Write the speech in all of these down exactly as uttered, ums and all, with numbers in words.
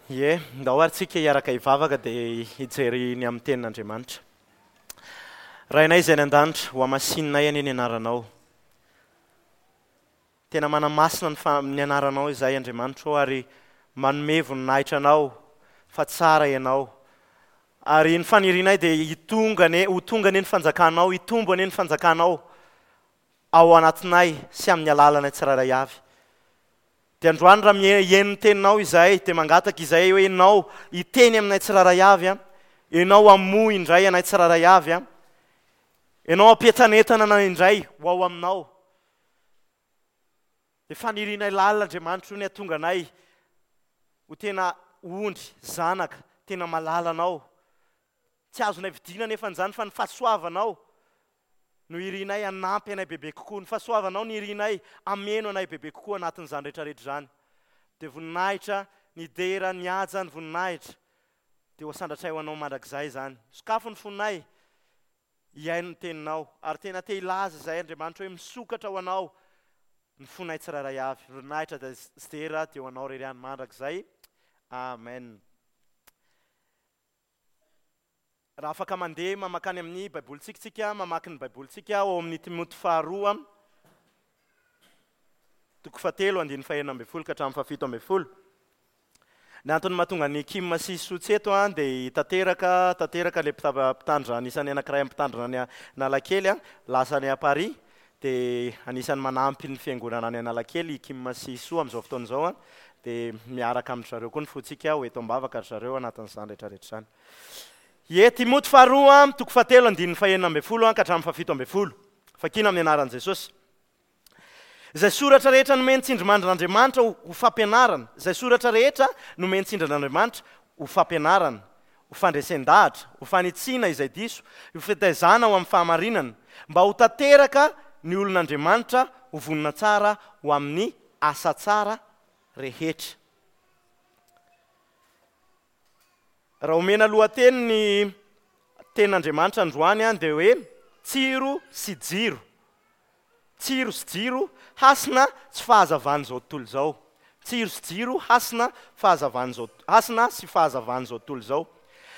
Ie, ndao ary tsika hiaraka hivavaka dia hijery ny amin'ny tenin'Andriamanitra. Rainay izay any an-danitra, ho hamasininay anie ny anaranao. Tena manamasina ny fa- ny anaranao izahay Andriamanitra ô, ary manome voninahitra anao fa tsara ianao. Ary ny fanirianay dia hitonga anie, ho tonga anie ny fanjakanao, hitombo anie ny fanjakanao ao anatinay sy amin'ny alalanay tsirairay avy. Dia androany raha mihaino ny teninao izahay, dia mangataka izahay hoe ianao hiteny aminay tsirairay avy, a. Ianao hamoha indray anay tsirairay avy, a. Ianao hampientanentana anay indray ho ao aminao. Dia fanirianay lalina Andriamanitra ny hahatonga anay ho tena ondry, zanaka, tena malala anao. Tsy azonay vidiana nefa an'izany fa ny fahasoavanao no irinay hanampy anay bebe kokoa. Ny fahasoavanao no irinay hameno anay bebe kokoa anatin'izany rehetrarehetra izany. Dia voninahitra, ny dera, ny haja, ny voninahitra dia ho asandratray ho anao mandrakizay izany. Sokafo ny fonay hihaino ny teninao. Ary tena te hilaza izahay Andriamanitra hoe misokatra ho anao ny fonay tsirairay avy. Voninahitra sy dera dia ho anao irery ihany mandrakizay. Amen. Raha afaka mandeha mamakany amin'ny Baibolintsika tsika, mamaky ny Baibolintsika ao amin'ny Timoty faharoa, toko fahatelo, andininy fahenina ambin'ny folo ka hatramin'ny fahafito ambin'ny folo. Ny antony mahatonga ny Kim sy Soa tsy eto dia tanteraka, tanteraka ilay mpitandrina, anisan'ny anankiray amin'ny mpitandrina any Analakely, lasa any Paris, dia anisan'ny manampy ny fiangonana any Analakely i Kim sy Soa amin'izao fotoana izao, dia miaraka amin-dry zareo koa ny fontsika ho eto am-bavaka ry zareo anatin'izany rehetrarehetra izany. Ie, Timoty faharoa, toko fahatelo, andininy fahenina ambin'ny folo ka hatramin'ny fahafito ambin'ny folo. Fakina amin'ny anaran'i Jesosy. Izay soratra rehetra nomeny tsindrimandrin'Andriamanitra ho fampianarana, izay soratra rehetra nomeny tsindrin'Andriamanitra ho fampianarana, ho fandresen-dahatra, ho fanitsiana izay diso, ho fitaizana ho amin'ny fahamarinana, mba ho tanteraka ny olon'Andriamanitra, ho vonona tsara ho amin'ny asa tsara rehetra. Raha omena lohateny ny tenin'Andriamanitra androany dia hoe tsiro sy jiro. Tsiro sy jiro, hasina sy fahazavan'izao tontolo izao. Tsiro sy jiro, hasina, fahazavan'izao, hasina sy fahazavan'izao tontolo izao.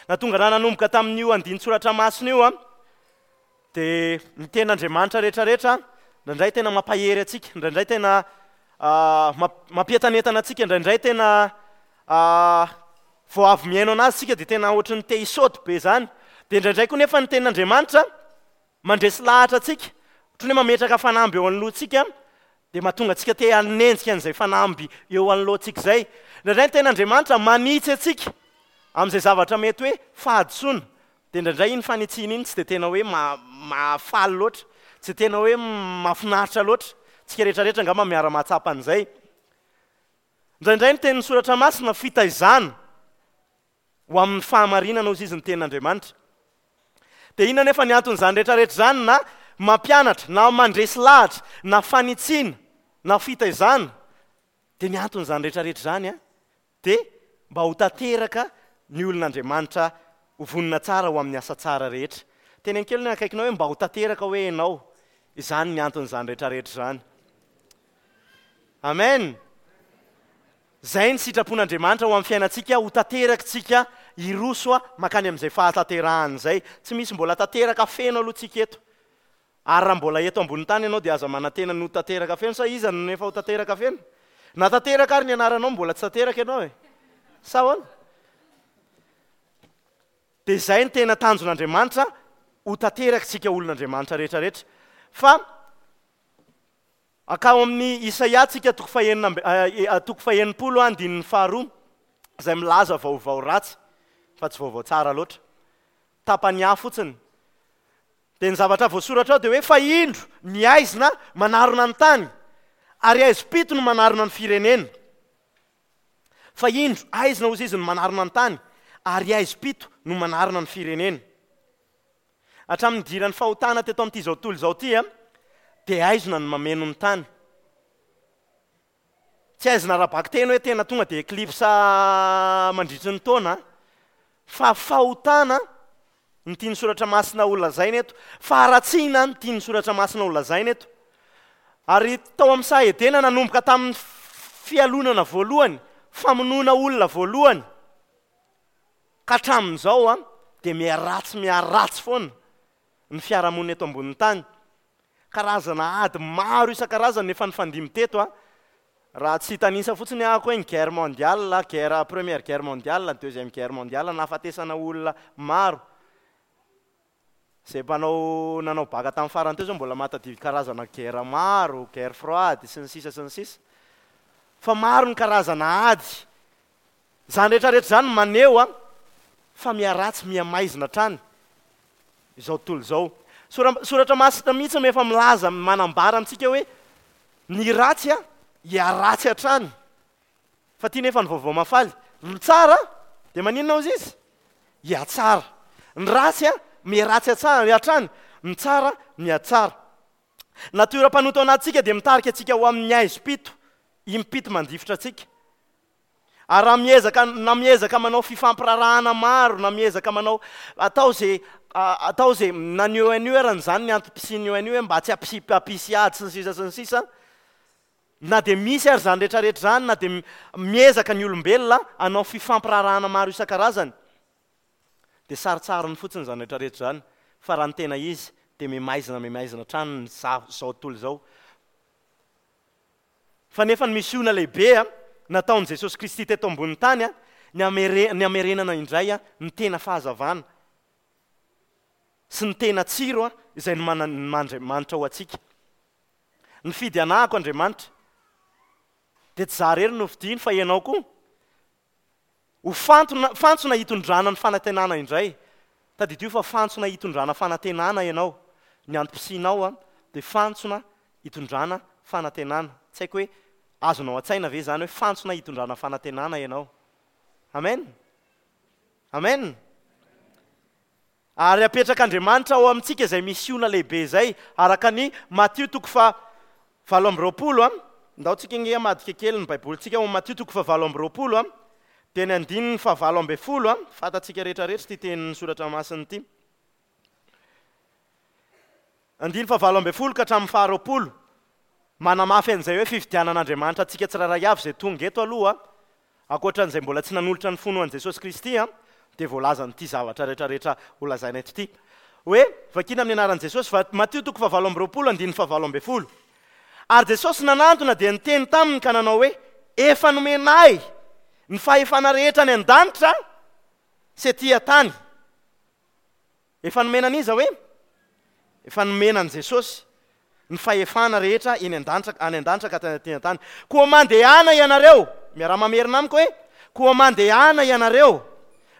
Nahatonga raha nanomboka tamin'io andinin-tsoratra masina io, dia ny tenin'Andriamanitra rehetrarehetra indraindray tena mampahery antsika, indraindray tena mampientanentana antsika, indraindray tena vao avy mihaino anazy tsika dia tena ohatran'ny te hisaoty be izany. Dia indraindray koa nefa ny tenin'Andriamanitra mandresy lahatra antsika, ohatran'ny hoe mametraka fanamby eo anoloantsika, dia mahatonga antsika te hanenjika an'izay fanamby eo anoloantsika izay. Indraindray ny tenin'Andriamanitra manitsy antsika amin'izay zavatra mety hoe fahadisoana. Dia indraindray iny fanitsiana iny tsy dia tena hoe mahafaly loatra, tsy dia tena hoe mahafinaritra loatra. Tsika rehetrarehetra angamba miara-mahatsapa an'izay. Indraindray ny tenin'ny soratra masina fitaizana ho amin'ny fahamarinana hozy izy ny tenin'Andriamanitra. Dia inona nefa ny anton'izany rehetrarehetra izany, na mampianatra, na mandresy lahatra, na fanitsiana, na fitaizana? Dia ny anton'izany rehetrarehetra izany dia mba ho tanteraka ny olon'Andriamanitra, ho vonona tsara ho amin'ny asa tsara rehetra. Teneno kely ny akaikinao hoe mba ho tanteraka hoe ianao. Izany ny anton'izany rehetrarehetra izany. Amen. Izay ny sitrapon'Andriamanitra ho amin'ny fiainantsika, ho tanteraka tsika, hiroso mankany amin'izay fahatanterahana izay. Tsy misy mbola tanteraka feno aloha tsika eto. Ary raha mbola eto ambony tany ianao dia aza manantena ny ho tanteraka feno, sa iza no efa ho tanteraka feno? Na tanteraka ary ny anaranao mbola tsy tanteraka ianao e. Sa ahoana? Dia izay ny tena tanjon'Andriamanitra, ho tanteraka tsika olon'Andriamanitra rehetrarehetra. Fa akao amin'ny Isaia tsika toko fahenina amby, toko fahenimpolo andininy faharoa, izay milaza vaovao ratsy fa tsy vaovao tsara loatra. Tapany ahy fotsiny. Dia ny zavatra voasoratra ao dia hoe fa indro ny aizina manarona ny tany, ary aizim-pito no manarona ny firenena. Fa indro aizina hozy izy no manarona ny tany, ary aizim-pito no manarona ny firenena. Hatramin'ny nidiran'ny fahotana teto amin'ity izao tontolo izao ity, dia aizina no mameno ny tany. Tsy aizina ara-bakiteny hoe tena tonga dia eclipse mandritry ny taona, fa fahotana ny tian'ny soratra masina ho lazaina eto, faharatsiana ny tian'ny soratra masina ho lazaina eto. Ary tao amin'ny saha Edena nanomboka tamin'ny fialonana voalohany, famonoana olona voalohany, Ka hatramin'izao a dia miharatsy miharatsy foana ny fiarahamonina eto ambonin'ny tany. Karazana ady maro isan-karazany efa nifandimby teto a. Raha tsy hitanisa fotsiny ahako hoe ny guerre mondiale, guerre première guerre mondiale, deuxième guerre mondiale, nahafatesana olona maro. Izay mpanao nanao baka tamin'ny farany teo zao mbola mahatadidy karazana guerre maro, guerre froide sy ny sisa sy ny sisa. Fa maro ny karazana ady. Izany rehetrarehetra izany maneho a fa miharatsy mihamaizina hatrany izao tontolo izao. Sora- soratra masina mihitsy no efa milaza manambara amintsika hoe ny ratsy a hiharatsy hatrany. Fa ty nefa ny vaovao mahafaly. Ny tsara dia maninona hozy izy? Hihatsara. Ny ratsy a miharatsy hatsara hatrany, ny tsara mihatsara. Natiora mpanota ao anatintsika dia mitarika antsika ho amin'ny haizim-pito, impito mandifotra antsika. Ary raha miezaka, na miezaka manao fifampirarahana maro, na miezaka manao atao zay, atao zay, na ny O N U arany izany ny antom-pisian'ny O N U hoe mba tsy hampisy, hampisy ady sy ny sisa sy ny sisa. Na dia misy ary izany rehetrarehetra izany, na dia miezaka ny olombelona hanao fifampirarahana maro isan-karazany, dia sarotsarony fotsiny izany rehetrarehetra izany. Fa raha ny tena izy dia mihamaizina mihamaizina hatrany ny za-, izao tontolo izao. Fa nefa ny misiona lehibe a nataon'i Jesosy Kristy teto ambonin'ny tany a, ny amere-, ny amerenana indray a ny tena fahazavana sy ny tena tsiro a izay nomanan'Andriamanitra ho antsika. Nifidy anahako Andriamanitra, dia tsy za irery no fidiny fa ianao koa. Ho fantona, fantsona hitondrana ny fanantenana indray. Tadidio fa fantsona hitondrana fanantenana ianao. Ny antom-pisianao a dia fantsona hitondrana fanantenana. Tsy haiko hoe azonao an-tsaina ve izany hoe fantsona hitondrana fanantenana ianao. Amen. Amen. Ary apetrak'Andriamanitra ao amintsika izay misiona lehibe izay, araka ny Matio toko faha valo amby roapolo a. Ndao tsika nge hamadika kely ny Baibolintsika ao Matio toko faha valo amby roapolo a, dia ny andininy faha valo amby folo a, fantatsika rehetrarehetra ity tenin'ny soratra masina ity. Andininy faha valo amby folo ka hatramin'ny faha roapolo. Manamafy an'izay hoe fifidianan'Andriamanitra antsika tsirairay avy izay tonga eto aloha, ankoatran'izay mbola tsy nanolotra ny fony ho an'i Jesosy Kristy a, dia voalazan'ity zavatra rehetrarehetra ho lazaina eto ity. Hoe, vakina amin'ny anaran'i Jesosy, va-, Matio toko faha valo amby roapolo, andininy faha valo amby folo. Ary Jesosy nanantona dia niteny taminy ka nanao hoe, efa nomena ahy ny fahefana rehetra any an-danitra sy ety an-tany. Efa nomena an'iza hoe? Efa nomena an'i Jesosy ny fahefana rehetra eny an-danitra, any an-danitra ka aty an-tany. Koa mandehana ianareo, miaraha-mamerina amiko hoe, koa mandehana ianareo,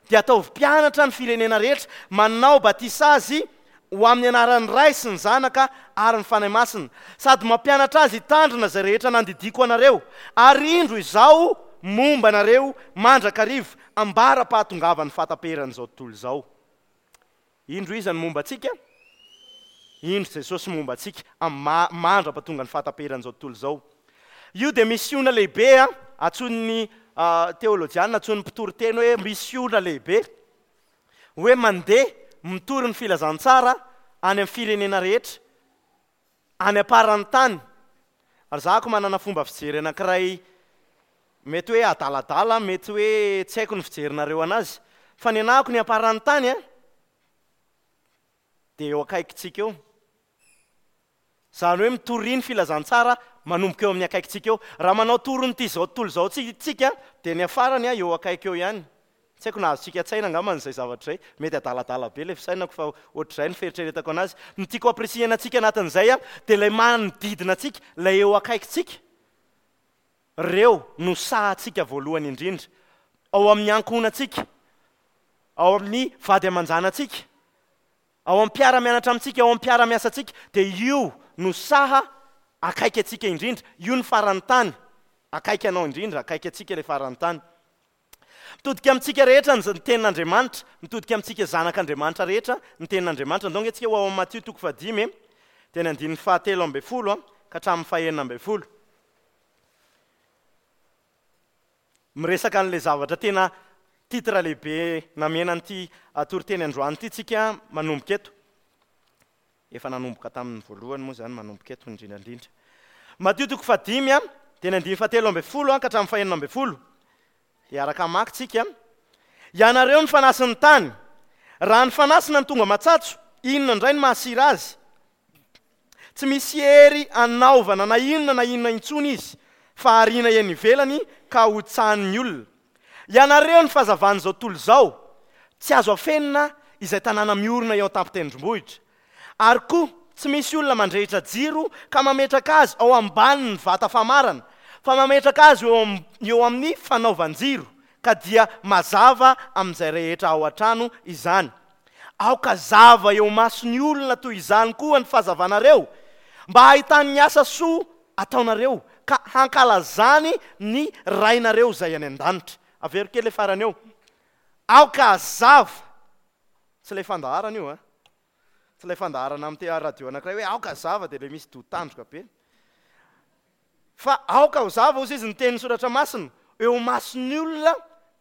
dia ataovy mpianatra ny firenena rehetra, manao batisa azy ho amin'ny anaran'ny Ray sy ny Zanaka ary ny Fanahy Masina, sady mampianatra azy hitandrina izay rehetra nandidiako anareo, ary indro izaho momba anareo mandrakariva, ambara-pahatongavan'ny fahataperan'izao tontolo izao. Indro iza no momba antsika? Indro Jesosy momba antsika amin'ny mandra-pahatonga ny fahataperan'izao tontolo izao. Io dia misiona lehibe a, antsoin'ny teolojiana, antsoin'ny mpitory teny hoe misiona lehibe, hoe mandeha mitory ny filazantsara any amin'ny firenena rehetra, any am-paran'ny tany. Ary za ko manana fomba fijery anankiray mety hoe adaladala, mety hoe tsy haiko ny fijerinareo anazy, fa ny anahako ny am-paran'ny tany a dia eo akaikintsika eo. Izany hoe mitory ny filazantsara manomboka eo amin'ny akaikintsika eo. Raha manao torin'ity izao tontolo izao tsika dia ny afarany a eo akaiky eo ihany. Tsy haiko na azontsika an-tsaina angamba izay zavatra izay. Mety adaladala be ilay fisainako fa ohatr'izay ny fieritreretako anazy. Ny tiako ampirisihana antsika anatin'izay a dia ilay manodidina antsika, ilay eo akaikintsika. Ireo no sahantsika voalohany indrindra. Ao amin'ny ankohonantsika, ao amin'ny vady aman-janantsika, ao amin'ny mpiara-mianatra amintsika, ao amin'ny mpiara-miasa antsika, dia io no saha akaiky antsika indrindra. Io no faran'ny tany akaiky anao indrindra, akaiky antsika ilay faran'ny tany. Mitodika amintsika rehetra ny tenin'Andriamanitra, mitodika amintsika zanak'Andriamanitra rehetra ny tenin'Andriamanitra. Ndao ange tsika ho ao amin'ny Matio toko fahadimy, dia ny andininy fahatelo amby folo ka hatramin'ny fahenina amby folo. Miresaka an'ilay zavatra tena titre lehibe namena an'ity toriteny androany ity tsika manomboka eto. Efa nanomboka tamin'ny voalohany moa izany, manomboka eto indrindra indrindra. Matio toko fahadimy a, dia ny andininy fahatelo amby folo ka hatramin'ny fahenina amby folo. Dia araka hamaky tsika. Ianareo ny fanasin'ny tany. Raha ny fanasina no tonga matsatso, inona indray no mahasira azy? Tsy misy hery anaovana na inona na inona intsony izy, fa ariana eny ivelany ka hotsahan'ny olona. Ianareo ny fahazavan'izao tontolo izao, tsy azo afenina izay tanàna miorina eo an-tampon-tendrombohitra. Ary koa tsy misy olona mandrehitra jiro ka mametraka azy ao ambanin'ny vata famarana, fa mametraka azy eo am-, eo amin'ny fanaovan-jiro, ka dia mazava amin'izay rehetra ao an-trano izany. Aoka zava eo mason'ny olona toy izany koa ny fahazavanareo, mba hahitany ny asa soa ataonareo, ka hankalazany ny Rainareo izay any an-danitra. Avero kely le farany eo. Aoka hazava. Tsy ilay fandaharana io, a. Tsy ilay fandaharana amin'ny te- radio anankiray hoe aoka hazava dia ilay misy doha tandroka be. Fa aoka ho zava hozy izy ny tenin'ny soratra masina, eo mason'ny olona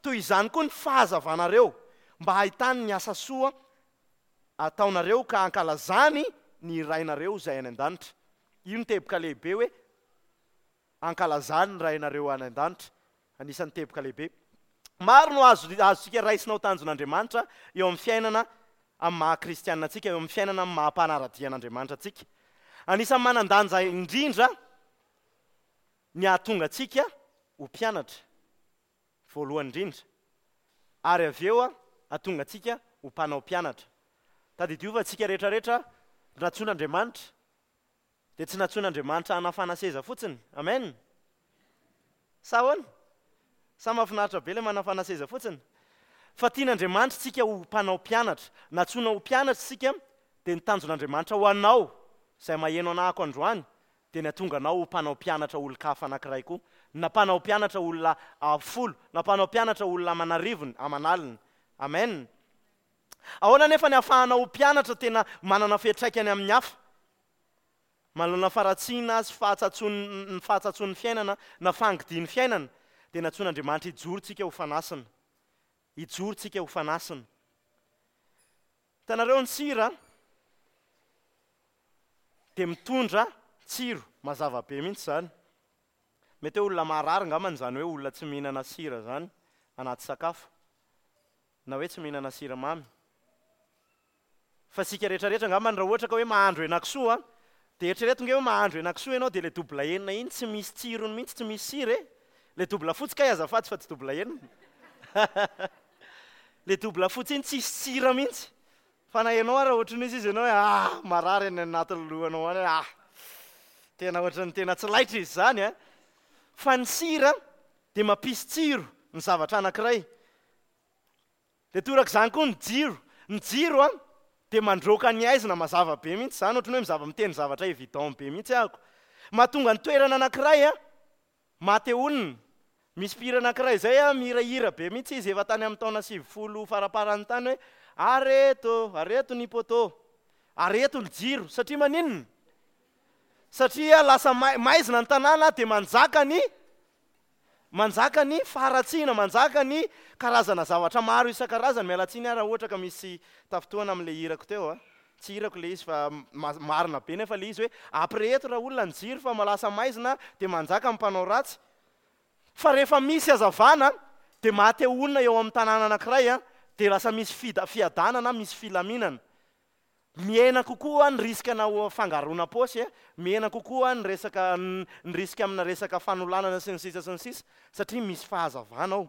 toy izany koa ny fahazavanareo, mba hahitany ny asa soa ataonareo ka hankalazany ny Rainareo izay any an-danitra. Io ny teboka lehibe hoe hankalazany ny Rainareo any an-danitra. Anisan'ny teboka lehibe. Maro no azo azontsika raisina ho tanjon'Andriamanitra eo amin'ny fiainana amin'ny maha kristianina antsika, eo amin'ny fiainana amin'ny maha mpanara-dia an'Andriamanitra antsika. Anisan'ny manan-danja indrindra ny hahatonga antsika ho mpianatra voalohany indrindra, ary avy eo hahatonga antsika ho mpanao mpianatra. Tadidio fa antsika rehetrarehetra nantsoin'Andriamanitra dia tsy nantsoin'Andriamanitra hanafana seza fotsiny. Amen. Sa ahoana? Sa mahafinaritra be ilay manafana seza fotsiny? Fa tian'Andriamanitra tsika ho mpanao mpianatra. Nantsoina ho mpianatra isika dia ny tanjon'Andriamanitra ho anao izay maheno anahako androany dia ny hahatonga anao ho mpanao mpianatra olon-kafa anankiray koa, na mpanao mpianatra olona folo, na mpanao mpianatra olona aman'arivony, aman'aliny. Amen. Ahoana nefa ny hahafahanao ho mpianatra tena manana fiantraikany amin'ny hafa? Manoloana faharatsiana sy fahatsatsoan'ny fahatsatsoan'ny fiainana na fangidian'ny fiainana, dia nantsoin'Andriamanitra hijoro tsika ho fanasina. Hijoro tsika ho fanasina. Hitanareo ny sira dia mitondra tsiro, mazava be mihitsy izany. Mety hoe olona marary angambany izany hoe olona tsy mihinana sira izany anaty sakafo, na hoe tsy mihinana siramamy. Fa isika rehetrarehetra angambany raha ohatra ka hoe mahandro henakisoa, dia eritrereto nge hoe mahandro henakisoa ianao dia ilay double enina iny tsy misy tsirony mihitsy, tsy misy sira e. Ilay double fotsy kay azafady fa tsy double enina. Ilay double fotsy iny tsisy sira mihitsy. Fa na ianao ara ohatran'ny izy izy ianao hoe ah, marary any anatin'ny lohanao any hoe ah, tena ohatran'ny tena tsy laitra izy izany a. Fa ny sira dia mampisy tsiro ny zavatra anankiray. Dia torak'izany koa ny jiro. Ny jiro a dia mandroaka ny aizina mazava be mihitsy izany, ohatran'ny hoe mizava miteny zavatra évident be mihitsy ahako. Mahatonga ny toerana anankiray a maha-te honina. Misy mpihira anankiray izay a mihirahira be mihitsy izy efa tany amin'ny taona sivifolo faraparany tany hoe areto, areto ny poteau, areto ny jiro. Satria maninona? Satria lasa mai-, maizina ny tanàna dia manjaka ny manjaka ny faharatsiana, manjaka ny karazana zavatra maro isan-karazany. Miala tsiny aho raha ohatra ka misy tafintohana amin'ilay hirako teo a. Tsy hirako ilay izy fa ma-, marina be nefa ilay izy hoe ampireheto raha olona ny jiro fa lasa maizina dia manjaka ny mpanao ratsy. Fa rehefa misy hazavana dia maha-te honina eo amin'ny tanàna anankiray a, dia lasa misy fida-, fiadanana, misy filaminana. Mihena kokoa ny risque na fangaroana paosy, mihena kokoa ny resaka, ny risque amina resaka fanolanana sy ny sisa sy ny sisa, satria misy fahazavana ao.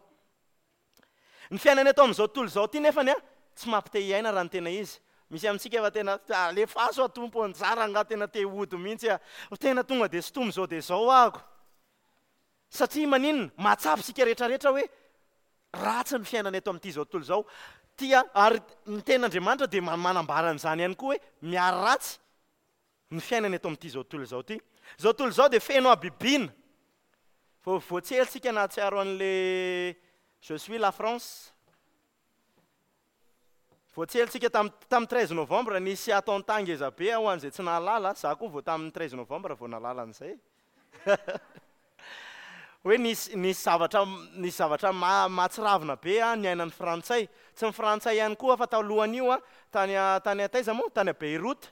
Ny fiainana eto amin'izao tontolo izao ity nefany a, tsy mampite hiaina raha ny tena izy. Misy amintsika efa tena alefaso aho tompo, anjara angaha tena te hody mihitsy aho. Tena tonga dia sintomy izao dia izao ahako. Satria maninona? Mahatsapa isika rehetrarehetra hoe ratsy ny fiainana eto amin'ity izao tontolo izao. Tia, ary ny tenin'Andriamanitra dia ma-, manambara an'izany ihany koa hoe miharatsy ny fiainana eto amin'ity izao tontolo izao ity. Izao tontolo izao dia feno habibiana. Vao voatsely isika nahatsiaro an'le Je suis la France. Voatsely isika tam-, tamin'ny treize novembre nisy attentat ngeza be ho an'izay tsy nahalala. Za koa vao tamin'ny treize novembre vao nahalala an'izay. Hoe nisy, nisy zavatra, nisy zavatra ma-, mahatsiravina be a, niainan'ny Frantsay. Tsy ny Frantsay ihany koa fa talohan'io a, tany a, tany a taiza moa? Tany a Beyrouth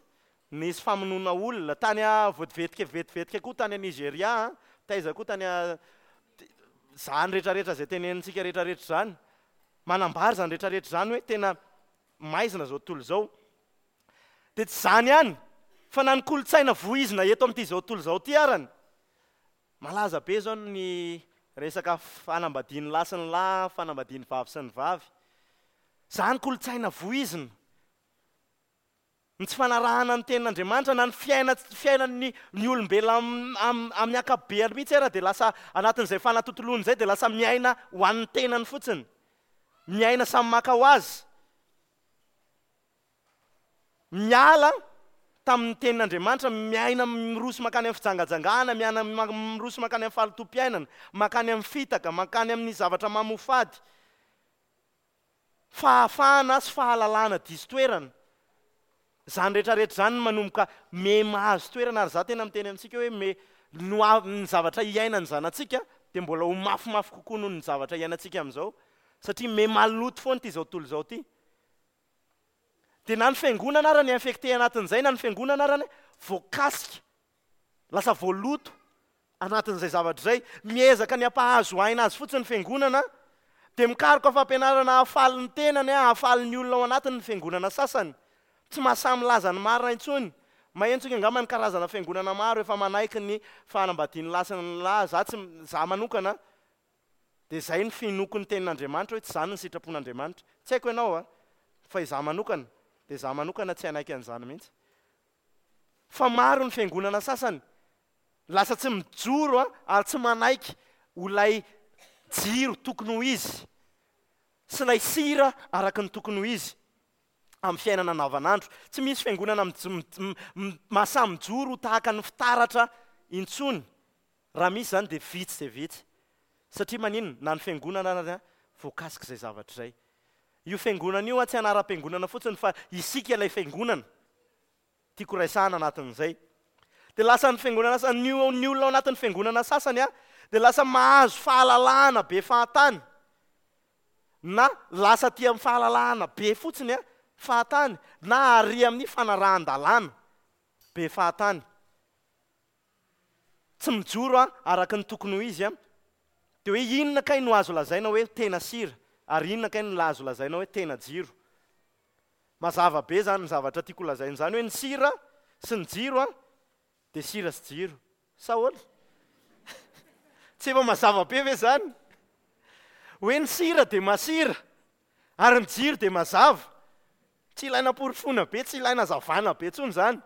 nisy famonoana olona, tany a voativetika vetivetika koa tany a Nigeria a, taiza koa tany a, zany rehetrarehetra izay tenenintsika rehetrarehetra zany. Manambara izany rehetrarehetra izany hoe tena maizina izao tontolo izao. Dia tsy izany ihany, fa na ny kolontsaina voizina eto amin'ity izao tontolo izao ity arany. Malaza be izao ny resaka fanambadian'ny lahy sy ny lahy, fanambadian'ny vavy sy ny vavy. Izany kolontsaina voizina. Ny tsy fanarahana ny tenin'Andriamanitra na ny fiaina fiainan'ny ny olombelona amin'ny ankapobeany mihitsy ara dia lasa anatin'izay fanatontoloana izay dia lasa miaina ho an'ny tenany fotsiny. Miaina samy maka ho azy. Miala tamin'ny tenin'Andriamanitra, miaina miroso mankany amin'ny fijangajangana, miaina miroso mankany amin'ny fahalotoam-piainana, mankany amin'ny fitaka, mankany amin'ny zavatra mamofady. Fahafahana sy fahalalana diso toerana. Izany rehetrarehetra izany no manomboka me mahazo toerana, ary izaho tena miteny amintsika hoe me no ny zavatra iainan'ny zanatsika dia mbola ho mafimafy kokoa noho ny zavatra iainantsika amin'izao, satria me maloto foana ity izao tontolo izao ity. Dia na ny fiangonana ara ny infecté anatin'izay, na ny fiangonana ara ny voakasika, lasa voaloto anatin'izay zavatra izay. Miezaka ny hampahazo aina azy fotsiny ny fiangonana, dia mikaroka fampianarana hahafaly ny tenany, hahafaly ny olona ao anatiny ny fiangonana sasany. Tsy mahasahy milaza ny marina intsony. Maheno tsika angamba ny karazana fiangonana maro efa manaiky ny fanambadian'ny lahy sy ny lahy. Za tsy, za manokana dia izay ny finoako ny tenin'Andriamanitra hoe tsy izany ny sitrapon'Andriamanitra. Tsy haiko ianao a, fa izaho manokana dia izaho manokana tsy hanaiky an'izany mihitsy. Fa maro ny fiangonana sasany lasa tsy mijoro a, ary tsy manaiky ho ilay jiro tokony ho izy sy ilay sira araka ny tokony ho izy amin'ny fiainana andavanandro. Tsy misy fiangonana mahasahy mijoro ho tahaka ny fitaratra intsony. Raha misy izany dia vitsy dia vitsy. Satria maninona? Na ny fiangonana ary voakasika izay zavatra izay. Io fiangonana io tsy anaram-piangonana fotsiny fa isika ilay fiangonana. Tiako raisana anatin'izay. Dia lasa ny fiangonana sasany, ny olona ao anatin'ny fiangonana sasany a, dia lasa mahazo fahalalahana be fahatany. Na lasa aty amin'ny fahalalahana be fotsiny a, fahatany, na ary amin'ny fanarahan-dalàna be fahatany. Tsy mijoro a, araka ny tokony ho izy a. Dia hoe inona kay no azo lazaina hoe tena sira, ary inona kay no azo lazaina hoe tena jiro. Mazava be zany ny zavatra tiako lazaina izany hoe ny sira sy ny jiro a, dia sira sy jiro. Sa ahoana? Tsy efa mazava be ve zany? Hoe ny sira dia masira, ary ny jiro dia mazava. Tsy ilaina porofoina be, tsy ilaina hazavana be intsony izany.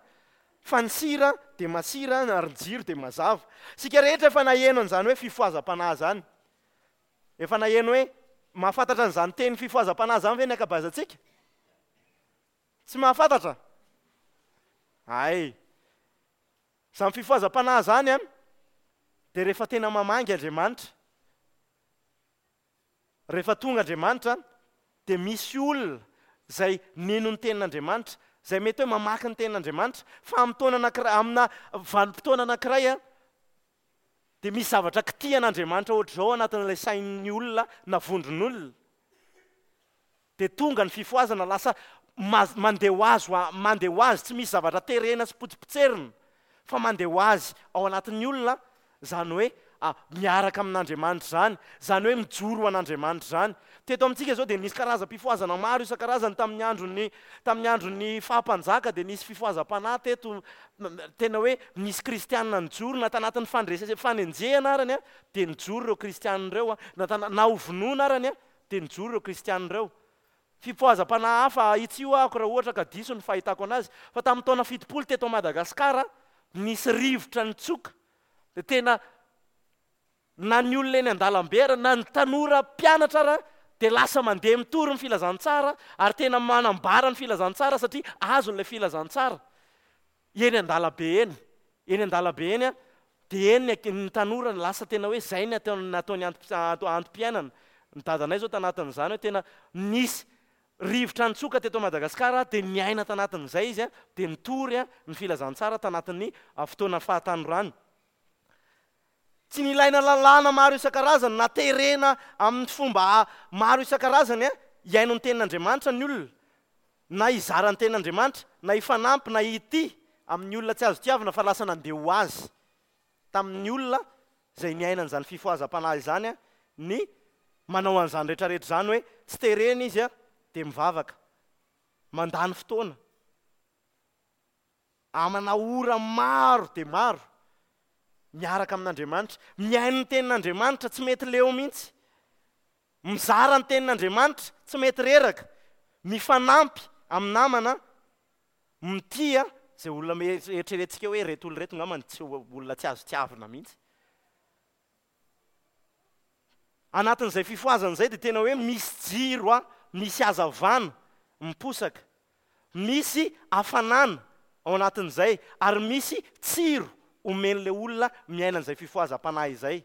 Fa ny sira dia masira, ary ny jiro dia mazava. Isika rehetra efa naheno an'izany hoe fifohazam-panahy izany. Efa naheno hoe mahafantatra an'izany teny fifohazam-panahy izany ve ny ankabeazantsika? Tsy mahafantatra? Ay. Izany fifohazam-panahy izany an, dia rehefa tena mamangy Andriamanitra. Rehefa tonga Andriamanitra dia misy olona izay nino ny tenin'Andriamanitra, izay mety hoe mamaky ny tenin'Andriamanitra, fa amin'ny taona anankiray, amina vanim-potoana anankiray a, dia misy zavatra kitihan'Andriamanitra ohatr'izao anatin'ilay sain'ny olona na vondron'olona. Dia tonga ny fifohazana, lasa mandeha ho azy, mandeha ho azy, tsy misy zavatra terena sy potsipotserina, fa mandeha ho azy ao anatin'ny olona, izany hoe miaraka amin'Andriamanitra izany, izany hoe mijoro ho an'Andriamanitra izany. Teto amintsika izao dia nisy karazam-pifohazana maro isan-karazany tamin'ny andron'ny, tamin'ny andron'ny faha-mpanjaka dia nisy fifohazam-panahy teto, tena hoe nisy kristianina nijoro na tanatin'ny fandrese- fanenjehana arany dia nijoro ireo kristianina ireo, na tana-, na ho vonoina arany dia nijoro ireo kristianina ireo. Fifohazam-panahy hafa, ahitsio ahako raha ohatra ka diso ny fahitako anazy, fa tamin'ny taona fitopolo teto Madagasikara nisy rivotra nitsoka, dia tena na ny olona eny an-dalambe ara, na ny tanora mpianatra ara, dia lasa mandeha mitory ny filazantsara ary tena manambara ny filazantsara satria azony ilay filazantsara eny an-dalambe eny. Eny an-dalambe eny dia eny ny tanora lasa tena hoe izay ny ataony antom-piainana. Ny dadanay izao tanatin'izany hoe tena nisy rivotra nitsoka teto Madagasikara dia niaina tanatin'izay izy dia nitory ny filazantsara tanatin'ny fotoana fahatanorany. Tsy nilaina lalàna maro isan-karazany na terena amin'ny fomba maro isan-karazany hihaino ny tenin'Andriamanitra ny olona, na hizara ny tenin'Andriamanitra, na hifanampy, na hitia amin'ny olona tsy azo tiavina, fa lasa nandeha ho azy tamin'ny olona izay niaina an'izany fifohazam-panahy izany ny Manao an'izany rehetrarehetra izany hoe tsy terena izy a, dia mivavaka, mandany fotoana, amana ora maro dia maro, miaraka amin'Andriamanitra, mihaino ny tenin'Andriamanitra, tsy mety leo mihitsy, mizara ny tenin'Andriamanitra, tsy mety reraka, mifanampy amin'ny namana, mitia izay olona eritreretintsika hoe ireto olona ireto angamba tsy olona tsy azo tiavina mihitsy. Anatin'izay fifohazana izay dia tena hoe misy jiro a, misy hazavana miposaka, misy hafanana ao anatin'izay ary misy tsiro omen'ilay olona miaina an'izay fifohazam-panahy izay.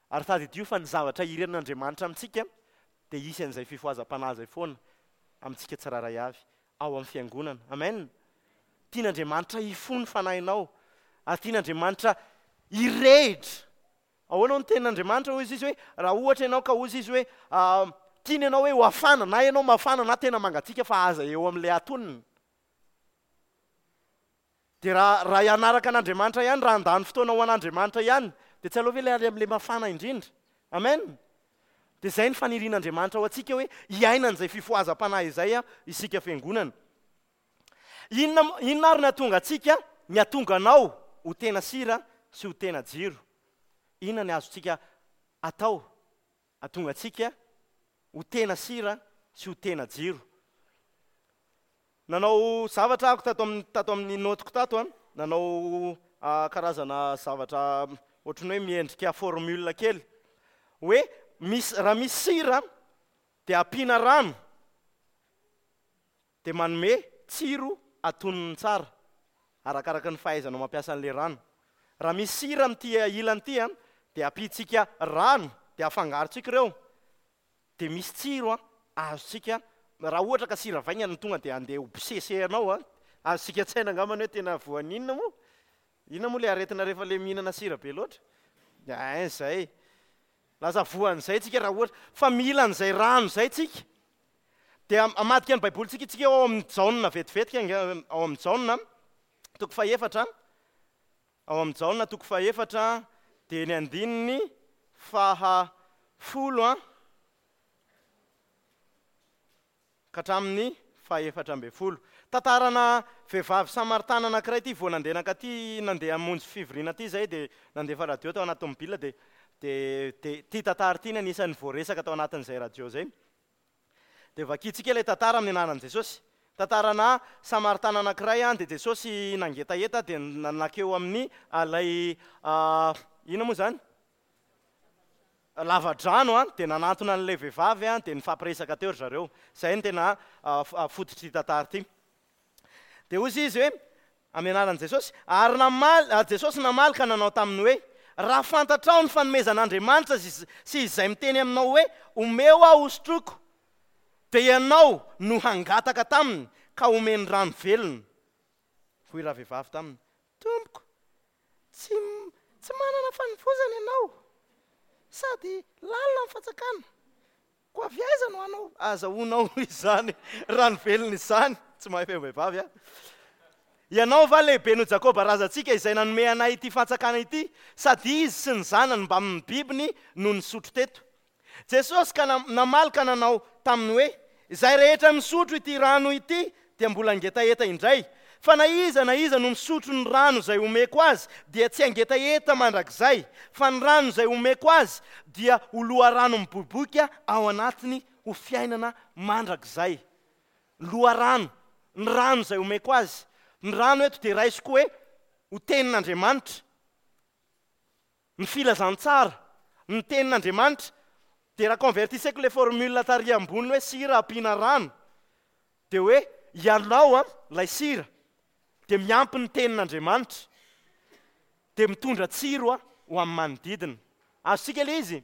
Ary tadidio fa ny zavatra irin'Andriamanitra amintsika dia hisy an'izay fifohazam-panahy izay foana amintsika tsirairay avy ao amin'ny fiangonana. Amen. Tian'Andriamanitra hifoha ny fanahinao ary tian'Andriamanitra hirehitra. Ahoana no tenin'Andriamanitra? Hoy izy hoe raha ohatra ianao ka hoy izy hoe tiany ianao hoe ho hafana, na ianao mafana na tena mangatsiaka fa aza eo amin'ilay atonina. Dia raha raha hianaraka an'Andriamanitra ihany, raha handany fotoana ho an'Andriamanitra ihany, dia tsy aleo ve ilay any amin'ilay mafana indrindra? Amen. Dia izay ny fanirian'Andriamanitra ho antsika hoe hiaina an'izay fifohazam-panahy izay isika fiangonana. Inona inona ary no hahatonga antsika, ny hahatonga anao ho tena sira sy ho tena jiro? Inona ny azontsika atao hahatonga antsika ho tena sira sy ho tena jiro? Nanao zavatra aho tato amin'ny tato amin'ny notiko tato a, nanao karazana zavatra ohatran'ny hoe miendrika formule kely hoe misy raha misy sira dia ampiana rano dia manome tsiro atonony tsara arakaraka ny fahaizanao mampiasa an'ilay rano. Raha misy sira amin'ity ilany ity a, dia ampiantsika rano dia afangarontsika ireo dia misy tsiro a azontsika. Raha ohatra ka sira vaingana no tonga dia andeha ho bosesehanao a, azontsika an-tsaina angambany hoe tena voan'inona moa? Inona moa ilay aretina rehefa ilay mihinana sira be loatra? Ein izay. Lasa voan'izay tsika raha ohatra fa mila an'izay rano izay tsika. Dia hamadika ny Baibolintsika isika ao amin'ny Jaona vetivetika, ao amin'ny Jaona toko fahefatra, ao amin'ny Jaona toko fahefatra dia ny andininy faha folo a ka hatramin'ny fahefatra ambin'ny folo. Tantarana vehivavy samaritana anankiray ity vao nandeha nankaty, nandeha hamonjy fivoriana ity izay dia nandefa radio tao anaty tomobile dia dia dia ity tantara ity no anisan'ny voaresaka tao anatin'izay radio izay. Dia vakintsika ilay tantara amin'ny anaran'i Jesosy. Tantarana samaritana anankiray dia Jesosy nangetaheta dia nankeo amin'ny ilay inona moa izany? Lavadrano a, dia nanantona an'ilay vehivavy a, dia nifampiresaka teo ry zareo. Izay no tena fototr'ity tantara ity. Dia hoy izy hoe amin'ny anaran'i Jesosy, ary namaly Jesosy namaly ka nanao taminy hoe, raha fantatrao ny fanomezan'Andriamanitra sy izay miteny aminao hoe omeo aho hosotroiko, dia ianao no hangataka taminy ka omeny rano velona. Hoy ravehivavy taminy, tompoko, tsy tsy manana fanovozana ianao sady lalina ny fantsakana, koa avy aiza no hanao azahoanao izany rano velona izany? Tsy mahay feo vehivavy a. Ianao va lehibe noho Jakoba razantsika izay nanome anay ity fantsakana ity, sady izy sy ny zanany mbamin'ny bibiny no nisotro teto? Jesosy ka namaly ka nanao taminy hoe, izay rehetra misotro ity rano ity dia mbola hangetaheta indray, fa na iza na iza no misotro ny rano izay omeko azy dia tsy hangetaheta mandrakizay, fa ny rano izay omeko azy dia ho loharano miboiboika ao anatiny ho fiainana mandrakizay. Loharano, ny rano izay omeko azy. Ny rano eto dia raisiko hoe ho tenin'Andriamanitra. Ny filazantsara, ny tenin'Andriamanitra, dia raha convertisseko ilay formule tary ambony hoe sira ampiana rano, dia hoe ianao a, ilay sira, dia miampy ny tenin'Andriamanitra, dia mitondra tsiro a ho amin'ny manodidina. Azontsika ilay izy?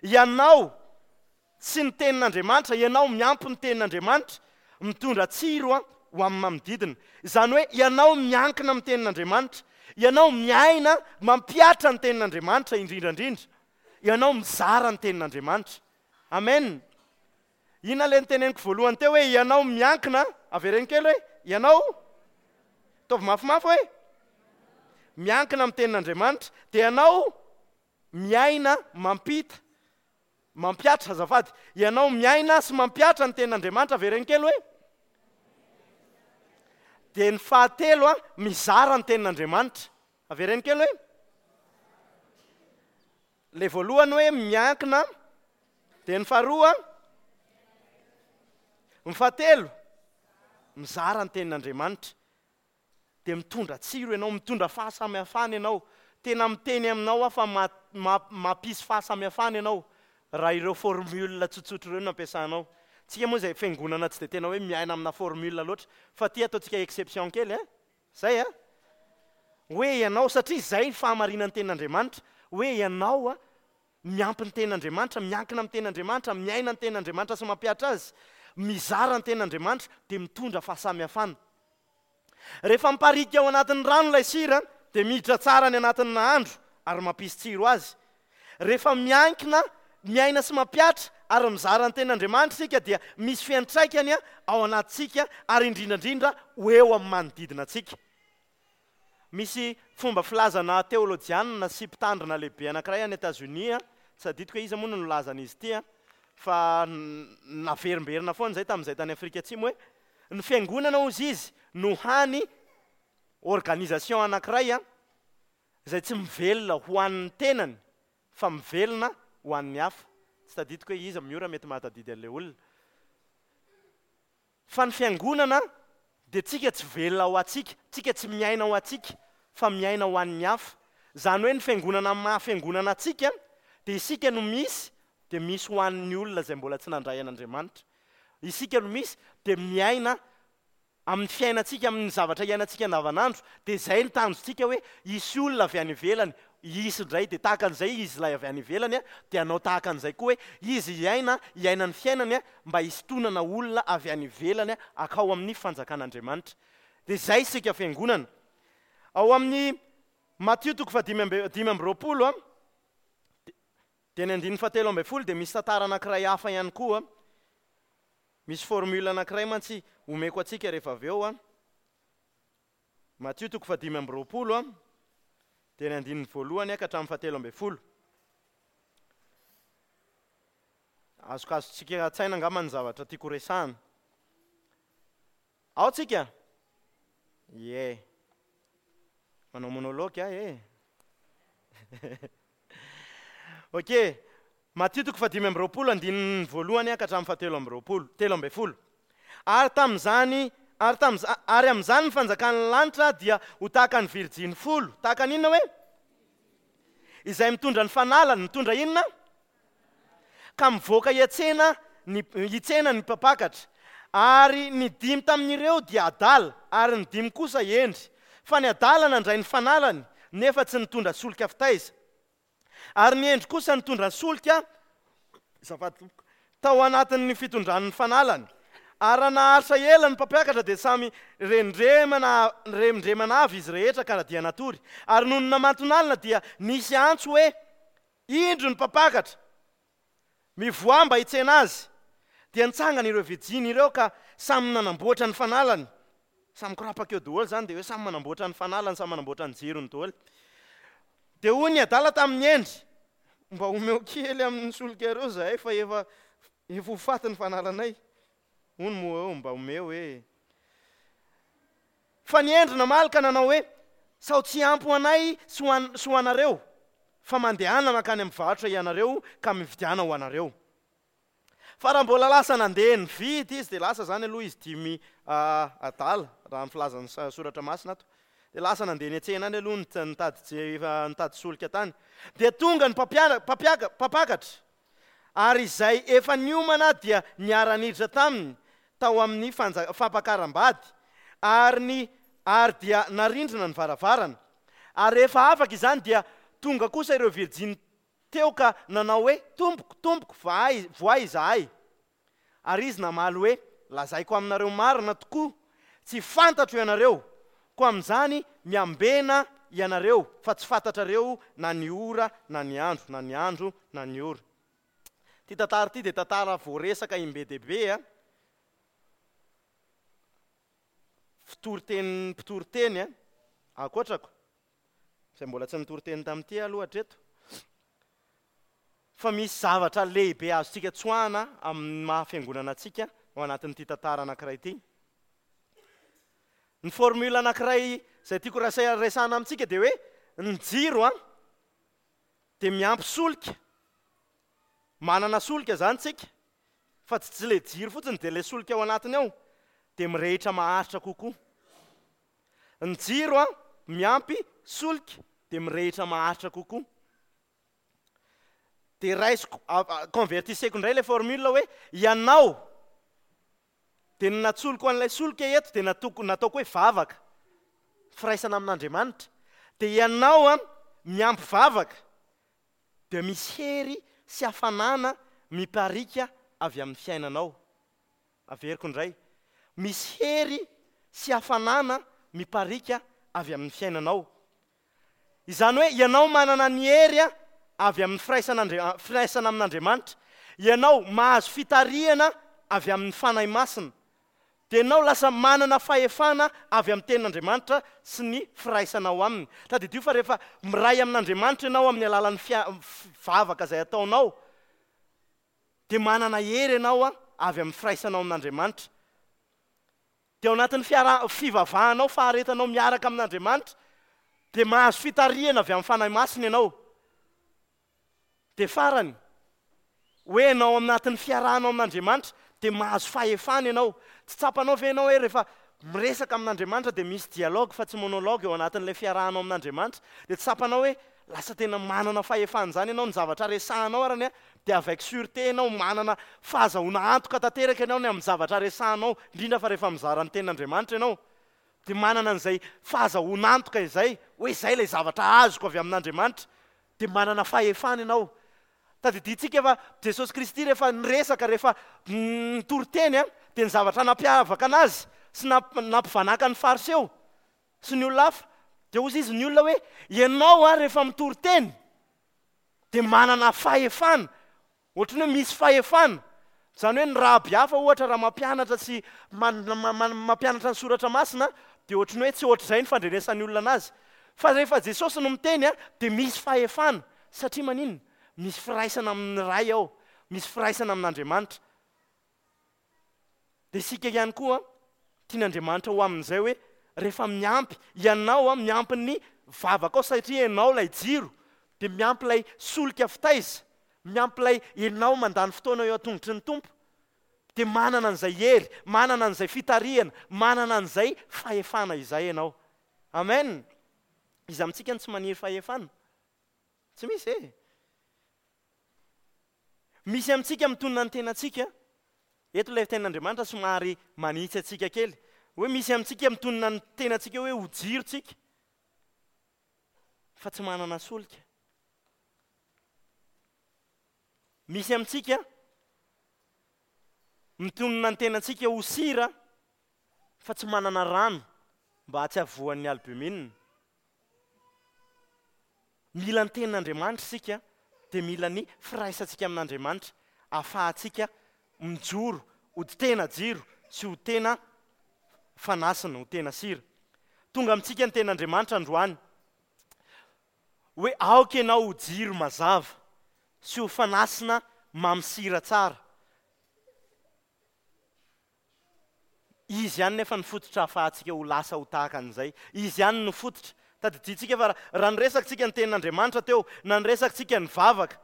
Ianao sy ny tenin'Andriamanitra, ianao miampy ny tenin'Andriamanitra, mitondra tsiro a ho amin'ny manodidina. Izany hoe ianao miankina amin'ny tenin'Andriamanitra, ianao miaina mampihatra ny tenin'Andriamanitra indrindra indrindra, ianao mizara ny tenin'Andriamanitra. Amen. Inona ilay niteneniko voalohany teo hoe ianao miankina, avereno kely hoe ianao, ataovy mafimafy hoe miankina amin'ny tenin'Andriamanitra, dia ianao miaina mampita Mampihatra, azafady. Ianao miaina sy mampihatra ny tenin'Andriamanitra, avereno kely hoe? Dia ny fahatelo a, mizara ny tenin'Andriamanitra. Avereno kely hoe? Le voalohany hoe miankina, dia ny faharoa, ny fahatelo, mizara ny tenin'Andriamanitra. Dia mitondra tsiro ianao, mitondra fahasamihafana ianao. Tena miteny aminao aho fa ma-, ma-, mampisy fahasamihafana ianao raha ireo formule tsotsotra ireo no ampiasanao. Tsika moa izay fiangonana tsy dia tena hoe miaina amina formule loatra, fa ty ataontsika exception kely, eh? Zay, eh? Hoe ianao, satria izay ny fahamarinan'ny tenin'Andriamanitra, hoe ianao a, miampy ny tenin'Andriamanitra, miankina amin'ny tenin'Andriamanitra, miaina ny tenin'Andriamanitra sy mampihatra azy, mizara ny tenin'Andriamanitra, dia mitondra fahasamihafana. Rehefa miparika ao anatin'ny rano ilay sira, dia miditra tsara any anatin'ny nahandro ary mampisy tsiro azy. Rehefa miankina, miaina sy mampihatra ary mizara ny tenin'Andriamanitra isika, dia misy fiantraikany ao anatintsika ary indrindra indrindra ho eo amin'ny manodidina antsika. Misy fomba filazana teolojianina sy mpitandrina lehibe anankiray any Etazonia, tsy adidiko hoe iza moa no nilazan'izy ity, fa naverimberina foana izay tamin'izay tany Afrika Atsimo hoe ny fiangonana hozy izy no hany organisation anankiray a, izay tsy mivelona ho an'ny tenany fa mivelona ho an'ny hafa. Tsy tadidiko hoe iza miora mety mahatadidy an'ilay olona. Fa ny fiangonana dia tsika tsy velona ho antsika, tsika tsy miaina ho antsika fa miaina ho an'ny hafa. Izany hoe ny fiangonana maha fiangonana antsika dia isika no misy, dia misy ho an'ny olona izay mbola tsy nandray an'Andriamanitra. Isika no misy dia miaina amin'ny fiainantsika, amin'ny zavatra iainantsika andavanandro, dia izay ny tanjontsika hoe hisy olona avy any ivelany, hisy indray, dia tahaka an'izay izy ilay avy any ivelany, dia hanao tahaka an'izay koa hoe izy hiaina, hiaina ny fiainany mba hisintonana olona avy any ivelany akao amin'ny fanjakan'Andriamanitra. Dia izay isika fiangonana. Ao amin'ny Matio toko fahadimy amby, dimy amby roapolo, dia ny andininy fahatelo ambin'ny folo dia misy tantara anankiray hafa ihany koa. Misy formule anankiray mantsy omeko antsika rehefa avy eo. Matio toko fahadimy amby roapolo, dia ny andininy voalohany ka hatramin'ny fahatelo ambin'ny folo. Azokazontsika an-tsaina angamba ny zavatra tiako resahana. Ao tsika? Ie. Manao monologue aho e. Ok. Matio toko fahadimy amby roapolo andininy voalohany ka hatramin'ny fahatelo amby roapolo, telo ambin'ny folo. Ary tamin'izany, ary tamin'izany, ary amin'izany ny fanjakan'ny lanitra dia ho tahaka ny virjiny folo. Tahaka ny inona hoe? Izay mitondra ny fanalany, mitondra inona? Ka mivoaka hiantsena ny, hitsena ny mpampakatra. Ary ny dimy tamin'ireo dia adala, ary ny dimy kosa hendry. Fa ny adala nandray ny fanalany, nefa tsy nitondra solika fitaiza. Ary ny hendry kosa nitondra solika, azafady tompoko, tao anatin'ny fitondran'ny fanalany. Ary raha naharitra ela ny mpampiakatra dia samy rendremana, rendremana avy izy rehetra ka dia natory. Ary nony namantonalina dia nisy antso hoe, indro ny mpampakatra, mivoaha mba hitsena azy. Dia nitsangana ireo virjiny ireo ka samy nanamboatra ny fanalany. Samy korapaka eo daholo izany, dia hoe samy manamboatra ny fanalany, samy manamboatra ny jirony daholo. Dia hoy ny adala tamin'ny hendry, mba omeo kely amin'ny solika ireo zahay fa efa, efa ho faty ny fanalanay. Hono moa eo, mba omeo hoe. Fa ny hendry namaly ka nanao hoe, sao tsy ampy ho anay sy ho an-, sy ho anareo, fa mandehana mankany amin'ny varotra ianareo ka mividiana ho anareo. Fa raha mbola lasa nandeha nividy izy, dia lasa zany aloha izy dimy, ah, adala, raha ny filazan'ny sa-, soratra masina ato. Dia lasa nandeha niantsena any aloha nit-, nitady je-, efa nitady solika tany. Dia tonga ny mpampiana-, mpampiaka-, mpampakatra, ary izay efa niomana dia niara-niditra taminy tao amin'ny fanja-, fampakaram-bady, ary ny, ary dia narindrina ny varavarana. Ary rehefa afaka izany dia tonga kosa ireo virjiny teo ka nanao hoe, tompoko, tompoko, vahay, voay izahay. Ary izy namaly hoe, lazaiko aminareo marina tokoa, tsy fantatro ianareo, koa amin'izany miambena ianareo, fa tsy fantatrareo na ny ora na ny andro, na ny andro na ny ora. Ty tantara ty dia tantara voaresaka imbe dehibe a. Fitoriteny, mpitoriteny a, ankoatrako, izay mbola tsy nitoriteny tamin'ity aloha hatreto. Fa misy zavatra lehibe azontsika tsoahana amin'ny maha fiangonana antsika ao anatin'ity tantara anankiray ity. Ny formule anankiray izay tiako rasa- resahana amintsika dia hoe ny jiro a dia miampy solika. Manana solika zany tsika, fa tsy tsy le jiro fotsiny dia le solika ao anatiny ao dia mirehitra maharitra kokoa. Ny jiro a miampy solika dia mirehitra maharitra kokoa. Dia raisiko, convertisseko indray le formule hoe ianao dia ny natsoloko an'ilay solika eto dia nataoko, nataoko hoe vavaka, firaisana amin'Andriamanitra. Dia ianao a miampy vavaka dia misy hery sy hafanana miparika avy amin'ny fiainanao. Averiko indray, misy hery sy hafanana miparika avy amin'ny fiainanao. Izany hoe ianao manana ny hery a avy amin'ny firaisan'Andri-, firaisana amin'Andriamanitra. Ianao mahazo fitarihana avy amin'ny Fanahy Masina. Dia ianao lasa manana fahefana avy amin'ny tenin'Andriamanitra sy ny firaisanao aminy. Tadidio fa rehefa miray amin'Andriamanitra ianao amin'ny alalan'ny fia-, vavaka izay ataonao, dia manana hery ianao a avy amin'ny firaisanao amin'Andriamanitra. Dia ao anatin'ny fiara-, fivavahanao, faharetanao miaraka amin'Andriamanitra, dia mahazo fitarihana avy amin'ny Fanahy Masina ianao. Dia farany, hoe ianao anatin'ny fiarahanao amin'Andriamanitra, dia mahazo fahefana ianao. Tsy tsapanao ve ianao hoe rehefa miresaka amin'Andriamanitra dia misy dialogue fa tsy monologue eo anatin'ilay fiarahanao amin'Andriamanitra? Dia tsy tsapanao hoe lasa tena manana fahefana izany ianao, ny zavatra resahanao arany a, dia avec sûreté ianao, manana fahazahoana antoka tanteraka ianao ny amin'ny zavatra resahanao, indrindra fa rehefa mizara ny tenin'Andriamanitra ianao. Dia manana an'izay fahazahoana antoka izay, hoe izay ilay zavatra azoko avy amin'Andriamanitra, dia manana fahefana ianao. Tadidintsika fa Jesosy Kristy rehefa niresaka, rehefa nitory teny a, dia ny zavatra nampiavaka anazy sy namp-, nampivanaka ny Fariseo sy ny olona hafa, dia hoy izy ny olona hoe ianao a rehefa mitory teny dia manana fahefana, ohatran'ny hoe misy fahefana. Izany hoe ny raby hafa ohatra raha mampianatra sy man-, ma-, ma-, mampianatra ny soratra masina dia ohatran'ny hoe tsy ohatr'izay ny fandrenesan'ny olona anazy. Fa rehefa Jesosy no miteny a, dia misy fahefana, satria maninona? Misy firaisana amin'ny Ray ao, misy firaisana amin'Andriamanitra. Dia isika ihany koa tian'Andriamanitra ho amin'izay hoe rehefa miampy ianao a, miampy ny vavaka ao, satria ianao ilay jiro, dia miampy ilay solika fitaiza, miampy ilay ianao mandany fotoana eo an-tongotry ny Tompo, dia manana an'izay hery, manana an'izay fitarihana, manana an'izay fahefana izay ianao. Amen. Iza amintsika no tsy maniry fahefana? Tsy misy e. Misy amintsika mitonona ny tenantsika. Eto ilay tenin'Andriamanitra somary manitsy antsika kely. Hoe misy amintsika mitonona ny tenantsika hoe ho jiro tsika, fa tsy manana solika. Misy amintsika mitonona ny tenantsika ho sira, fa tsy manana rano mba tsy havoan'ny albumine. Mila ny tenin'Andriamanitra isika, dia mila ny firaisantsika amin'Andriamanitra ahafahantsika mijoro ho tena jiro sy ho tena fanasina, ho tena sira. Tonga amintsika ny tenin'Andriamanitra androany hoe aoka ianao ho jiro mazava sy ho fanasina mamy sira tsara. Izy ihany nefa ny fototra ahafahantsika ho lasa ho tahaka an'izay. Izy ihany no fototra. Tadidintsika fa raha niresaka ny tenin'Andriamanitra teo, na niresaka ny vavaka,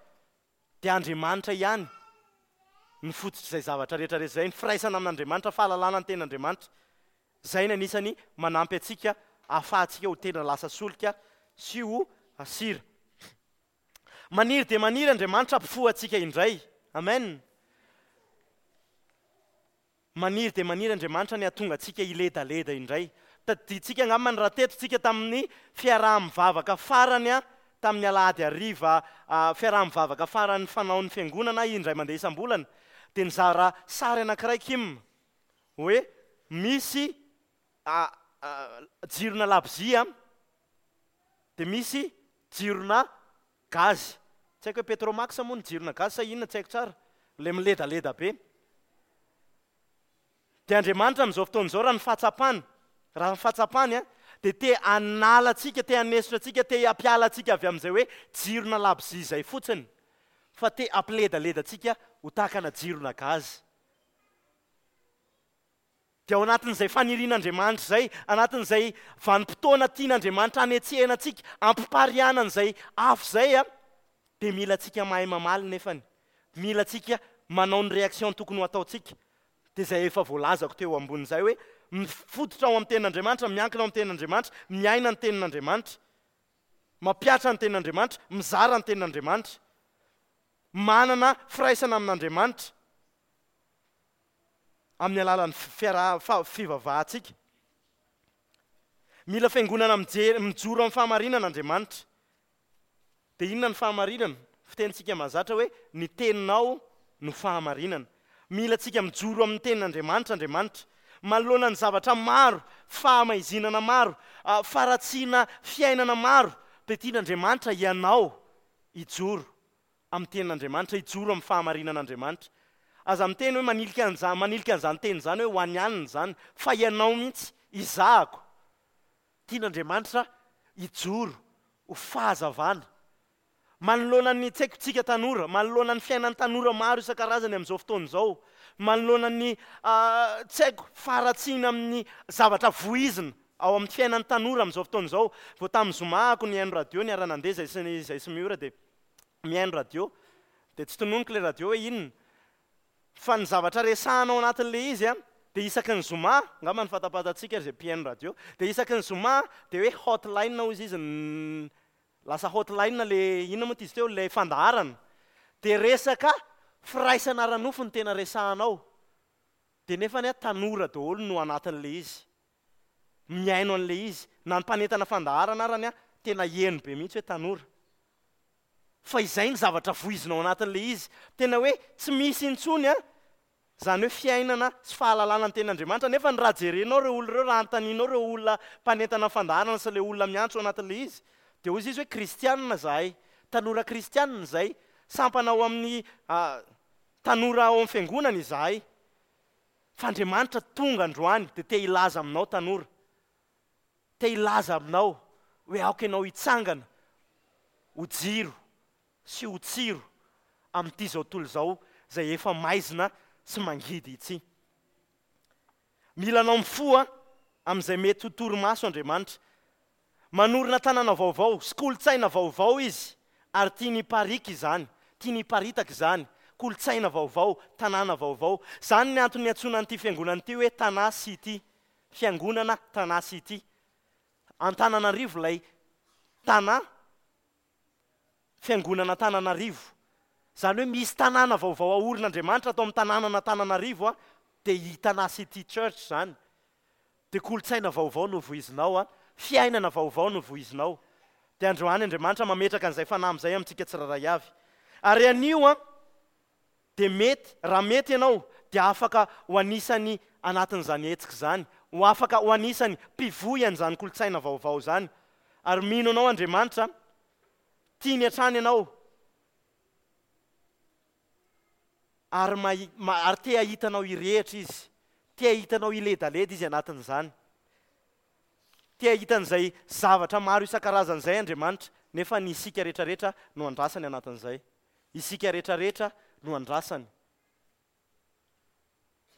dia Andriamanitra ihany ny fototra izay zavatra rehetra rehetra izay, ny firaisana amin'Andriamanitra, fahalalana ny tenin'Andriamanitra. Izay ny anisany manampy antsika ahafahantsika ho tena lasa solika sy ho sira. Maniry dia maniry Andriamanitra hampifoha antsika indray. Amen. Maniry dia maniry Andriamanitra ny hahatonga antsika hiledaleda indray. Tadidintsika angamba ny raha teto tsika tamin'ny fiaraha-mivavaka farany a, tamin'ny alahady hariva, a, fiaraha-mivavaka farany fanaon'ny fiangonana indray mandeha isam-bolana, dia nizara sary anankiray Kim hoe misy, a, a, jirona labozia, dia misy jirona gazy. Tsy haiko hoe Petromax moa ny jirona gazy sa inona, tsy haiko tsara, ilay miledaleda be. Dia Andriamanitra amin'izao fotoana izao raha ny fahatsapany, raha ny fahatsapany a, dia te hanala antsika, te hanesotra antsika, te hampiala antsika avy amin'izay hoe jirona labozia izay fotsiny. fa te hampiledaleda antsika ho tahaka ana jirona gaz. Dia ao anatin'izay fanirian'Andriamanitra izay, anatin'izay vanim-potoana tian'Andriamanitra hanetsehana antsika, ampipariahana an'izay afo izay, a, dia mila antsika mahay mamaly nefany. Mila antsika manao ny réaction tokony ho ataontsika. Dia izay efa voalazako teo ambonin'izay hoe mifototra ao amin'ny tenin'Andriamanitra, miankina ao amin'ny tenin'Andriamanitra, miaina ny tenin'Andriamanitra, mampihatra ny tenin'Andriamanitra, mizara ny tenin'Andriamanitra, manana firaisana amin'Andriamanitra amin'ny alalan'ny fiaraha- fa- fivavahantsika. Mila fiangonana mijery, mijoro amin'ny fahamarinana Andriamanitra. Dia inona ny fahamarinana? Fitenintsika mahazatra hoe ny teninao no fahamarinana. Mila antsika mijoro amin'ny tenin'Andriamanitra Andriamanitra. Manoloana ny zavatra maro, fahamaizinana maro, ah, faharatsiana fiainana maro, dia tian'Andriamanitra ianao hijoro amin'ny tenin'Andriamanitra, hijoro amin'ny fahamarinan'Andriamanitra. Aza miteny hoe manilika an'izany, manilika an'izany teny izany hoe ho an'ny anina izany, fa ianao mihitsy, izahako. Tian'Andriamanitra hijoro ho fahazavana. Manoloana ny tsy haiko tsika tanora, manoloana ny fiainan'ny tanora maro isan-karazany amin'izao fotoana izao, manoloana ny, ah, tsy haiko faharatsiana amin'ny zavatra voizina ao amin'ny fiainan'ny tanora amin'izao fotoana izao. Vao tamin'ny zoma ako nihaino radio, niara-nandeha izay sy ny, izay sy Miora, dia mihaino radio, dia tsy tononiko ilay radio hoe inona, fa ny zavatra resahana ao anatin'ilay izy a, dia isaky ny zoma, angamba ny fantapantatsika ry izay mpihaino radio, dia isaky ny zoma dia hoe hotline hozy izy, n-, lasa hotline le inona moa ty izy teo, le fandaharana, dia resaka firaisana ara-nofo ny tena resahanao, dia nefa ny a tanora daholo no anatin'ilay izy, mihaino an'ilay izy, na ny mpanentana fandaharana arany a tena heno be mihitsy hoe tanora. Fa izay ny zavatra voizina ao anatin'ilay izy, tena hoe tsy misy intsony a, zany hoe fiainana sy fahalalana ny tenin'Andriamanitra. Nefa ny raha jerenao ireo olona ireo, raha anontanianao ireo olona mpanentana fandaharana sy ilay olona miantso ao anatin'ilay izy, dia hoy izy hoe kristianina zahay, tanora kristianina izay, sampana ao amin'ny, ah, tanora ao amin'ny fiangonana izahay. Fa Andriamanitra tonga androany dia te hilaza aminao tanora, te hilaza aminao hoe aoka ianao hitsangana ho jiro sy ho tsiro amin'ity izao tontolo izao izay efa maizina sy mangidy ity. Mila anao mifoha amin'izay mety ho torimaso Andriamanitra. Manorina tanàna vaovao sy kolontsaina vaovao izy, ary tiany hiparika izany, tiany hiparitaka izany, kolontsaina vaovao, tanàna vaovao. Izany ny antony niantsoana an'ity fiangonana ity hoe Tana City, fiangonana Tana City. Antananarivo ilay Tana, fiangonana Antananarivo. Izany hoe misy tanàna vaovao aorin'Andriamanitra atao amin'ny tanànan'Antananarivo a, dia i Tana City Church izany. Dia kolontsaina vaovao no voizinao a, fiainana vaovao no voizinao. Dia androany Andriamanitra mametraka an'izay fanahy amin'izay amintsika tsirairay avy. Ary anio a, dia mety, raha mety ianao, dia afaka ho anisany anatin'izany hetsika izany, ho afaka ho anisany mpivoy an'izany kolontsaina vaovao izany. Ary mino anao Andriamanitra, tiany hatrany ianao, ary mahi-, ma-, ary te hahita anao hirehitra izy, te hahita anao hiledaleda izy anatin'izany, te hahita an'izay zavatra maro isan-karazany izay Andriamanitra, nefa ny isika rehetrarehetra no andrasany anatin'izay. Isika rehetrarehetra no andrasany.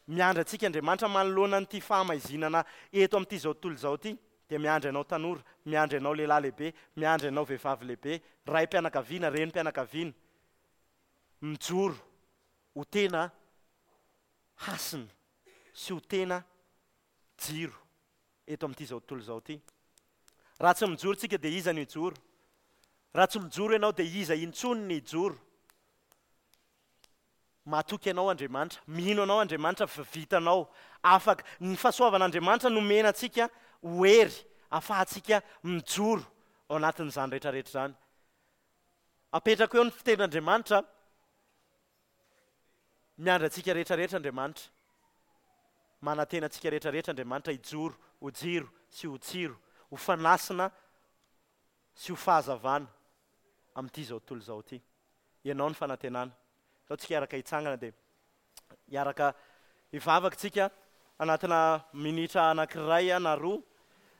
Miandry antsika Andriamanitra manoloana an'ity fahamaizinana eto amin'ity izao tontolo izao ity, dia miandry anao tanora, miandry anao lehilahy lehibe, miandry anao vehivavy lehibe, raim-pianakaviana, renim-pianakaviana, mijoro ho tena hasina sy ho tena jiro eto amin'ity izao tontolo izao ity. Raha tsy mijoro tsika dia iza no hijoro? Raha tsy mijoro ianao dia iza intsony ny hijoro? Matoky anao Andriamanitra, mino anao Andriamanitra fa vitanao. Afaka ny fahasoavan'Andriamanitra nomena antsika ho hery ahafahantsika mijoro ao anatin'izany rehetrarehetra izany. Apetrako eo ny fitenin'Andriamanitra, miandry antsika rehetrarehetra Andriamanitra. Manantena antsika rehetrarehetra Andriamanitra hijoro ho jiro sy ho tsiro, ho fanasina sy ho fahazavana amin'ity izao tontolo izao ity. Ianao ny fanantenana. Atao tsika hiaraka hitsangana dia hiaraka hivavaka tsika anatina minitra anankiray na roa,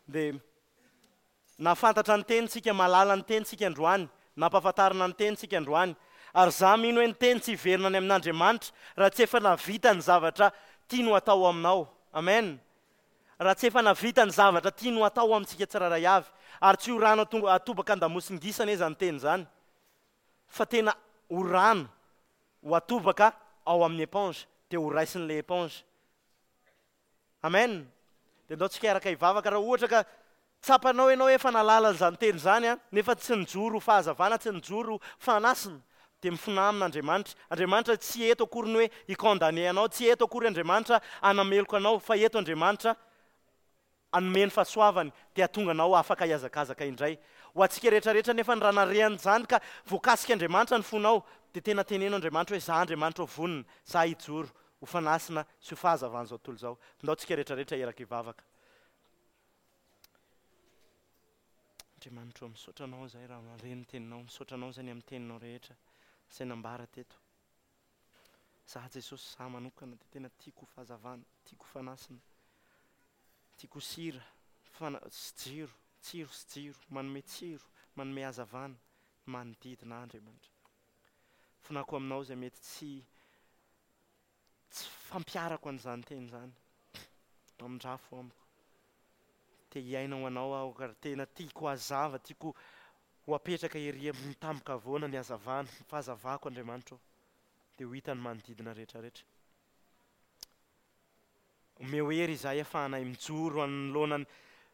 dia nahafantatra ny teny tsika, mahalala ny teny tsika androany, nampahafantarina ny teny tsika androany, Ary za mino hoe ny teny tsy hiverina any amin'Andriamanitra raha tsy efa navita ny zavatra tiany ho atao aminao. Amen. Raha tsy efa navita ny zavatra tiany ho atao amintsika tsirairay avy. Ary tsy ho rano atobaka an-damosin-gisa anie izany teny izany, fa tena ho rano ho atobaka ao amin'ny éponge, dia ho raisin'ilay éponge. Amen. Dia ndao tsika hiaraka hivavaka. Raha ohatra ka tsapanao ianao hoe efa nahalala an'izany teny izany an, nefa tsy nijoro ho fahazavana, tsy nijoro ho fanasina, dia mifonà amin'Andriamanitra. Andriamanitra tsy eto akory ny hoe hi-condamner anao, tsy eto akory Andriamanitra hanameloka anao, fa eto Andriamanitra hanome ny fahasoavany, dia hahatonga anao afaka hihazakazaka indray. Ho antsika rehetra rehetra nefa ny raha nare an'izany ka voakasik'Andriamanitra ny fonao, dia tena teneno Andriamanitra hoe, Za Andriamanitra ô vonona, za hijoro ho fanasina sy ho fahazavan'izao tontolo izao. Ndao tsika rehetra rehetra hiaraka hivavaka. Andriamanitra ô, misaotra Anao izahay raha nandre ny Teninao, misaotra Anao izay ny amin'ny Teninao rehetra izay nambara teto. Izaho Jesosy, izaho manokana dia tena tiako ho fahazavana, tiako ho fanasina, tiako ho sira fana sy jiro, tsiro sy jiro, manome tsiro, manome hazavana ny manodidina ahy Andriamanitra. Fonako aminao izay mety tsy tsy fampiharako an'izany teny izany. Mamindrafo amiko. Te hiaina ho anao aho ary tena tiako hazava, tiako ho apetraka ery amin'ny tampon-kavoana ny hazavana, ny fahazavako Andriamanitra ô, dia ho hitan'ny manodidina rehetra rehetra. Omeo hery izahay afahanay mijoro anoloana ny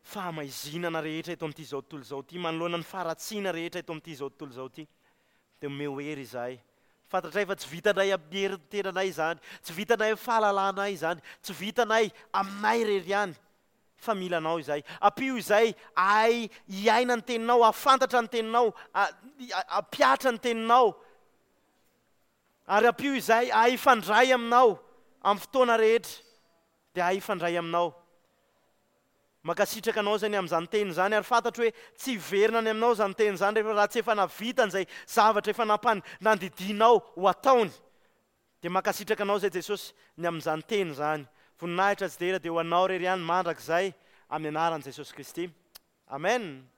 fahamaizinana rehetra eto amin'ity izao tontolo izao ity, manoloana ny faharatsiana rehetra eto amin'ity izao tontolo izao ity. Dia omeo hery izahay. Fantatray fa tsy vitanay amin'ny herin'ny tenanay izany, tsy vitanay amin'ny fahalalanay izany, tsy vitanay aminay irery ihany, fa mila Anao izahay. Ampio izahay hahay hiaina ny Teninao, hahafantatra ny Teninao, hampihatra ny Teninao, ary ampio izahay hahay hifandray Aminao amin'ny fotoana rehetra, dia hahay hifandray Aminao. Mankasitraka anao izay ny amin'izany teny izany ary fantatro hoe tsy hiverina any aminao izany teny izany rehefa raha tsy efa nahavita an'izay zavatra efa nampan nandidianao ho ataony. Dia mankasitraka anao izay Jesosy ny amin'izany teny izany. Voninahitra sy dera dia ho anao irery ihany mandrakizay amin'ny anaran'i Jesosy Kristy. Amen.